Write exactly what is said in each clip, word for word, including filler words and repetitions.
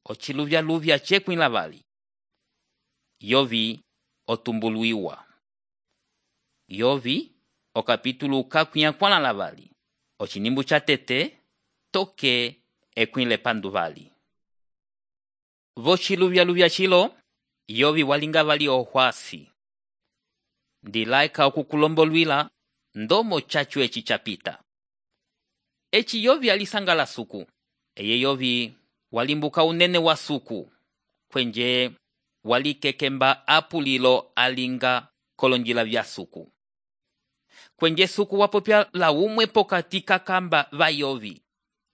ochiluvya-luvya chekwĩ lavali. Yovi otumbuluiwa. Yovi okapítulo kakwĩ akwãla lavali. Ochinimbu cha tete toke ekwĩ lepanduvali. Vochiluvya-luvya chilo, Yovi walinga vali ohwasi. Ndilaika okukulombolwila ndomo chachu echi chapita. Echi Yovi alisangala suku. Eye Yovi walimbuka unene wa suku. Kwenje walikekemba apulilo alinga kolonjila vya suku. Kwenje suku wapopya la umwe pokati kakamba va Yovi.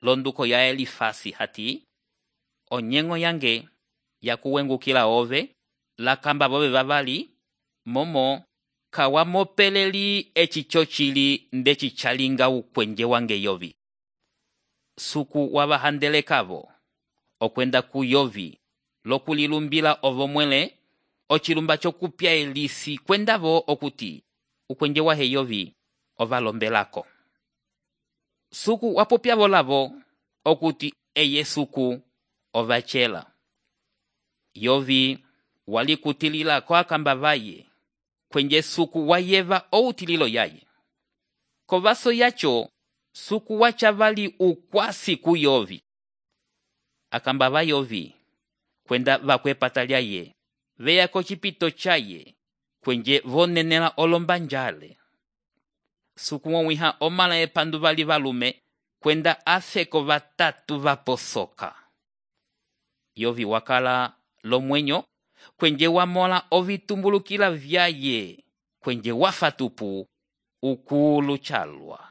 Londuko ya Elifasi hati. Onyengo yange ya kuwengukila ove. La kamba bove vavali. Momo kawamopeleli echi chochili ndechi chalinga ukwenje wange Yovi. Suku wabahandele kavo. Okwenda ku Yovi. Lokulilumbila ovo mwele. Ochilumba chokupya elisi kwendavo okuti. Ukwenje wahe Yovi ovalombelako. Suku wapopya volavo okuti eye suku ovachela. Yovi walikutilila kwa kamba vaye. Kwenje suku wayeva outililo yaye. Kovaso yacho suku wachavali ukwasi ku Yovi. Akamba va Yovi kwenda vakwepata lyaye. Veya kochipito chaye. Kwenje vonenela olombanjale. Suku wawiha omala epanduvali valume. Kwenda afeko vatatu vaposoka. Yovi wakala lomwenyo. Kwenje wamola ovitumbulukila vyaye. Kwenje wafatupu ukulu chalwa.